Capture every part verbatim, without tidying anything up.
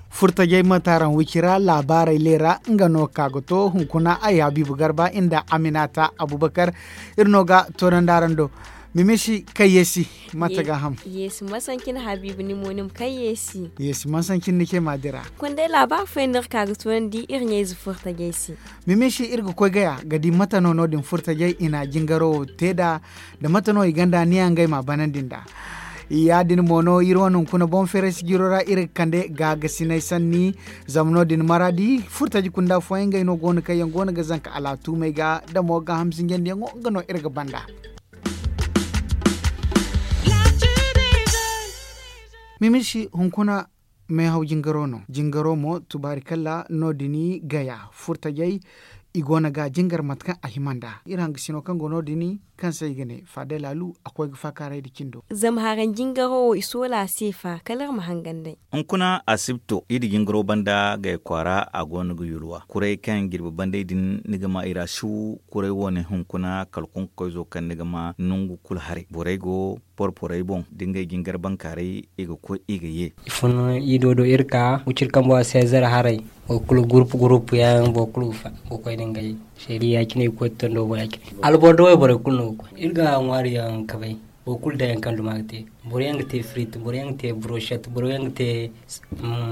Furtajey ma taaran wicira laabaarey leera nga no ka ga to hunkuna ay habiibu garba nda aminata abubakar. Iri no ga toonandi araŋ do. Mimisi kay yeesi mate ga ham. Yeesi masancin habiibu ni mo ni ma kay yeesi. Yeesi masancin ni ce ma dira. Kundey laabaari fooyaŋ no iri ka ga toonandi iri ɲayze furtajey se. Mimisi iri ga koy gaya ga di mate no no- din furtajey i na jingaro wo te nd'a, da mate no i gonda niya ngey ma banandi nd'a. Ya- din mo no iri wane hunkuna boŋ feeray sijiro ra iri ga kande gaagasinay sanni. Zama no- din maraadi furtaji kunda fooyaŋ ngey no go no kaŋ yaŋ go no ga zanka alaatumey ga da mo gaaham sinjandiyaŋo nga no iri ga banda. Mimisi hunkuna meehaw jingaro no jingaro mo tubaari kalla no- din gaya furtajey. I go no ga jingar mate kaŋ a hima nd'a iri hangasino kaŋ go no- din kaŋ se i ga ne faadey laalu a koy ga faakaaray nda cindo. Zama haraŋ jingaro wo i soola a se fa kala iri ma hangan day. Hunkuna asibto iri jingaro banda gay kwaara a go no ga yulwa kuray kaŋ jirbi bandey din ni ga ma i ra siw. Kuray wo ne hunkuna kala kunkoyzo kaŋ ni ga ma nangu kulu haray borey go porporey boŋ da ngey jingar bankaaray i ga koy i ga ye. I fun i do do iri ka wuciri kambo a seezer haray. Boro kulu gurupu gurupu yaŋ boro kulu ga koy da ngey seeri ya- cine i ga koy ga tondo boŋ ya- cine alboro da wayborey kulu no ga koy iri ga ŋwaari yaŋ kabay. Boro kulu day yaŋ kaŋ duma ga te boro yaŋ ga te firit boro yaŋ ga te buroshet boro yaŋ ga te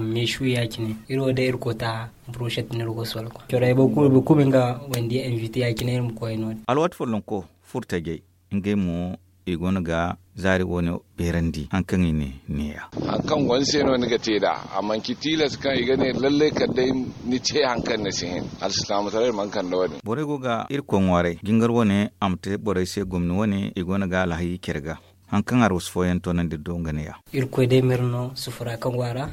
meesu ya- cine. Iri wo day iri koota buroshet no iri go soola koy corey boro kulu nga wandi invite ya- cine iri ma koy no- din. Alwaati follonko furtajey ngey mo i go no ga zaari wo- ne beerandi hari kaŋ i ne neeya. Hari kaŋ go ni se no ni ga te nd'a a manci tilas kaŋ i ga ne lallay kala day ni te hari kaŋ ni si hin. Alsilaamataray mana kande wo- din. Borey go ga irkoy ŋwaaray jingar wo- ne a ma te borey se gomni wo- ne i go no ga alhayi care ga. Hari kaŋ arwasu fooyaŋ toonandi iri do nga neeya. Irkoy day ma iri no sufura kaŋ go a ra.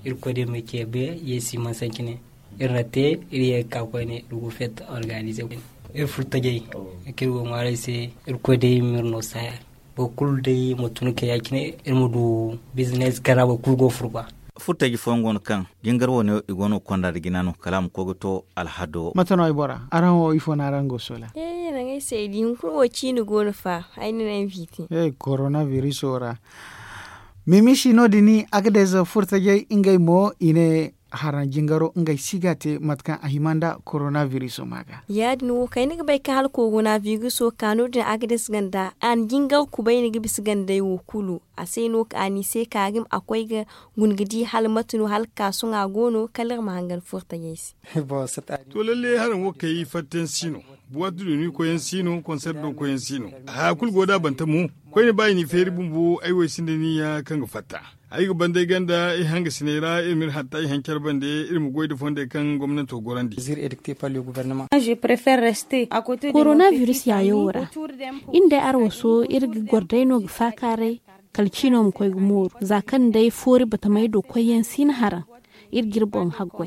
Irkoy day ma ceebe yeesi mana sanci ne. Iri na te iri ye ga ka koyne iri go feet organize koyne. Iri furtajey kaŋ iri go ŋwaaray se. Irkoy day ma iri no saaya. Boro kulu day ma tun kay ya- cine iri ma du bizines kaŋ ra boro kulu go ga furu ba. Furtaji fooyaŋ go no kaŋ jingar wo- ne i go no ga konda nda jina no kala a ma koy ga to alhado. Mate no ay bora araŋ wo ifo no araŋ go ga soola? Ee nangu ay se ay di hunkuna wo ciini go no fa. Ay na naŋ invite. Ee korona biriso ra. Mimisi no- din agades furtajey ngey mo i ne haraŋ jingaro ngey si ga te mate kaŋ a hima nda korona biriso ma ga. Ya- din wo kay ni ga bay kaŋ hala korona biriso ka no- din agades ganda a na jingar kubay ni ga bisa gandey wo kulu. A se no ka a ni se ka ga ma a koy ga guna ga di hala mate no hala ga ka sohõ a go no kala iri ma hangan furtajey se. To lalle haraŋ wo kay fattayaŋ si no. Buwaati doni koyyaŋ si no konseer do koyyaŋ si no. Haya kulu go da banta mo. Koyne ba i n'i feeri bumbo ay wo ay sinda niyya kaŋ ga fatta. Ay ga banda ay ganda ay hangasiney ra iri ma iri hatta ay haŋ care bande. Iri ma goy nda fondey kaŋ gomnanto gorandi. Korona biris yaayo wo ra. Iri nda ay arwaso iri ga goro day no ga faakaaray. Kala ciino ma koy ga mooru za kaŋ day foori batamey do koyyaŋ si na haraŋ. Iri ga iri boŋ haggoy.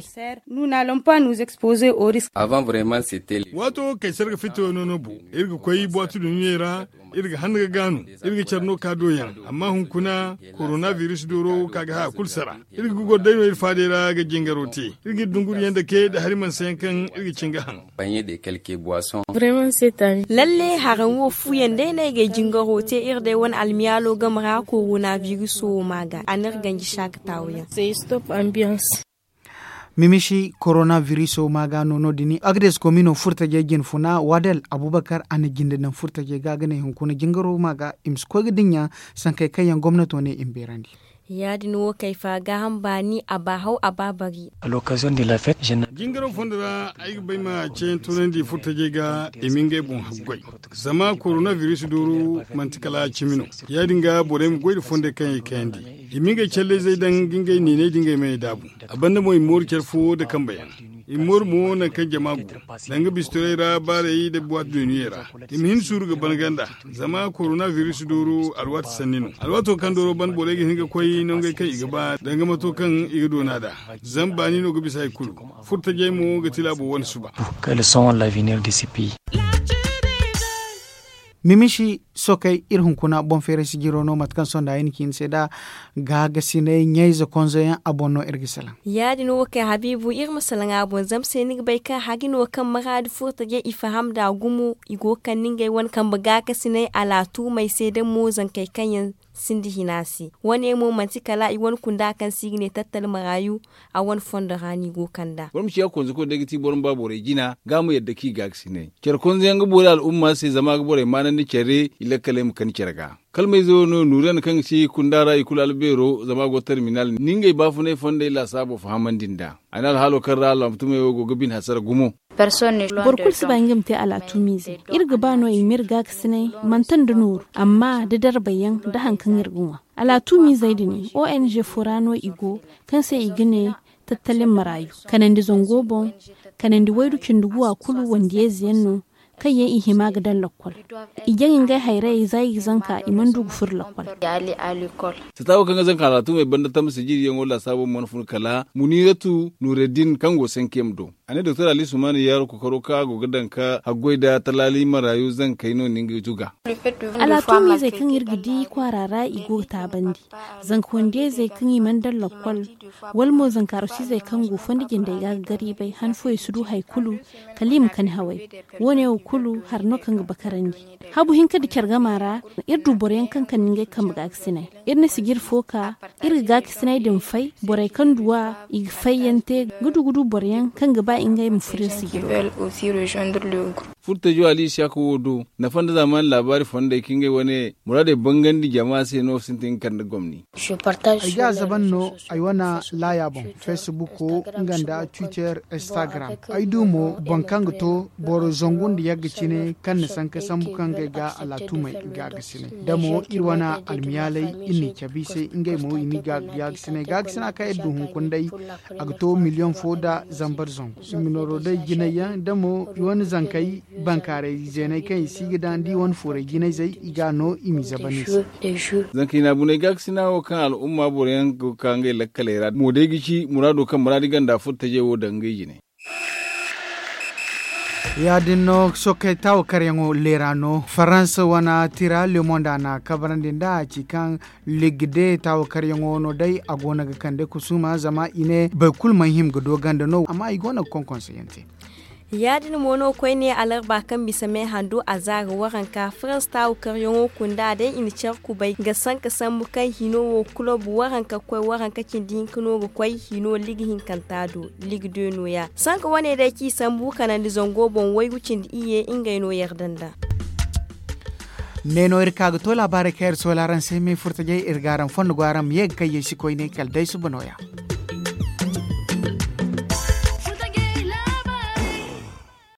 Waato wo kay sarga fito no no bo. Iri ga koy buwaati duniyey ra. Iri ga hanna ga gaanu. Iri ga care no ka do yaŋ. Amma hunkuna korona biris dooro ka ga haya kulu sara. Iri ga goro day no iri faadey ra ga jingaro te. Iri ga iri dunguriyaŋ dake nda hari mansayaŋ kaŋ iri ga cin ga haŋ. Lalle haraŋ wo fuyaŋ day no ay ga ay jingaro te iri day wane almiyaalo game ra korona biriso wo ma ga a n'iri ganji saakataawo yaŋ. Mimisi korona biriso ma ga no no- din agades komino furtajey jinfuna wadal abubakar a na jinde daŋ furtajey ga ga ne hunkuna jingaro ma ga i ma si koy ga dinya. Sankey kaŋ yaŋ gomnato ne i ma beerandi. Ya- din wo kay fa gaaham baani a ba haw a ba bari. Jingaro fondo ra ay ga bay ma ceeyaŋ toonandi furtajey ga i ma ngey boŋ haggoy. Zama korona biris dooru manti kala cimi no. Ya- din ga borey ma goy nda fondey kaŋ i kayandi. I ma ngey calley zey daŋ ga ngey niiney da ngey mey daabu. A banda mo i ma mooru care fo nda kambe yaŋ. I ma mooru mo nangu kaŋ jama go. Danga bistorey ra baarey nda buwaati dooniyey ra. I ma hin suuru ga ban ganda. Zama korona biris dooru alwaati sanni no. Alwaato kaŋ dooro ban borey ga hin ga koy nangey kaŋ i ga ba danga mato kaŋ i ga doona nd'a. Zama baani no ga bisa hari kulu. Furtajey mo ga ti laabo wane suba. Mimisi sokey iri hunkuna boŋ feeray sijiro no mate kaŋ sonda ay na ci ni se nd'a gaagasinay ɲayze konzo yaŋ a boŋ no iri ga salaŋ. Ya- din wo kay habiibu iri ma salaŋ a boŋ zama se ni ga bay kaŋ hagi no kaŋ maraadi furtajey i faham nd'a gumo i go ga kande ngey wane kambe gaagasinay alaatuumey se da mo zankey kaŋ yaŋ sinda hina se. Wane mo manti kala i wane kunda kaŋ se i ga ne tattali maraayu a wane fondo ra no i go ga kand'a. Boro ma ciya konzako day ga ti boro ma ba borey jina ga a ma yadda kaŋ i gaagasinay care konzo yaŋ ga boori al'umma se zama a ga borey maanandi care i lakkaley ma kani care ga. Kalmayze wo no nuuriyan kaŋ ga ci kunda ra i kulu albeero zama a go terminal ni ngey baafunay fondey laasaabo fahamandi nd'a. A ne alhaalo kaŋ ra alaatumey wo go ga bine hasara gumo. Boro kulu si ba nga ma te alaatumiize. Iri ga ba no i ma iri gaakasinay manti nda nooru amma da darbay yaŋ nda hari kaŋ iri ga ŋwa. Alaatumiizey din o n g fo ra no i go, kaŋ se i ga ne tattalin maraayu, kanandi zango boŋ, kanandi waydu cindi guwa kulu wandiyayze yaŋ no, kaŋ yaŋ i hima ga daŋ lakkol. I jaŋ ngey hayrayey za i ga zanka i mana du ga furo lakkol. Sata wo kaŋ ga zanka alaatumey banda tamma sijiriyaŋo laasaabo mana fun kala muniiratu nuureddin kaŋ go sankiyam do. A ne doktor ali sumaani yaaru kookaro kaŋ a go ga daŋ ka haggoy nda talaali maraayu zankey no ni nga zuga. Alaatumiizey kaŋ iri ga di kwaara ra i go ga taabandi, zanka wandiyayzey kaŋ i mana daŋ lakkol, wala mo zanka arosiizey kaŋ go fondo jindey ga ga gariibay han fooyaŋ si du hari kulu, kala i ma kani haway. Wo- ne wo kulu hari no kaŋ ga bakarandi. Habu hinka nda care gama ra, iri du boro yaŋ kaŋ kande ngey kambe gaakasinay. Iri na sijiri fo ka, iri ga gaakasinay din fay borey kaŋ du a, i ga fayyaŋ te ga du ga du boro yaŋ kaŋ ga ba ngey ma furo iri sijiro. Furtajo ali isiyaka wo do, nafa nda zaamaani laabaari fondey kaŋ ngey wane muraadey bangandi jama se no sintin ga kande gomni. Ay ga a zaban no ay wane laaya boŋ, facebook nga nda twitter, instagram. Ay du mo boro kaŋ ga to boro zangu nda yagga cine kaŋ na sanka sambu kaŋ ngey ga alaatumey ga ga sine da mo iri wane almiyaaley iri n'i cabe i se. Ngey mo i n'i ga ga ga sine ga ga sine a kaŋ iri du hunkuna day, a ga to miliyoŋ fo nda zambar zangu i ma nooro day jinay yaŋ da mo i wane zankey bankaaray zeeney kaŋ i si ga daŋ da i wane fooray jinayzey i ga a no i m'i zaban i se. Zanka hina bunay gaakasina wo kaŋ al'umma boro yaŋ go ga ka ngey lakkaley ra mo day ga ci muraado kaŋ muraadi ganda furtajey wo daŋ ngey jine. Ya- din no sookey taawakaryaŋo leera no faransa wane tira le monde a na kabarandi nd'a a ci kaŋ ligde taawakaryaŋo no day a go no ga kande kusuuma zama i ne boro kulu mana hima ga do ganda no amma i go no ga konkonseyaŋ te. Ya- din mo no koyne alarba kaŋ bisa me handu a zaara waranka farans taawakaryaŋo kunda day i na care kubay ga sanka sambu kaŋ hino wo kulob waranka ga koy waranka cindi hinka no ga koy hino liga hinkanta do. Liga de nooya sanka wane day kaŋ i sambu kanandi zango boŋ waygu cindi iyye ngey no yarda nd'a. Ne no iri ka ga to laabaarey kaŋ iri soola araŋ se me furtajey iri ga araŋ fondo go araŋ ma ye ga kayye si koyne kala day suba nooya.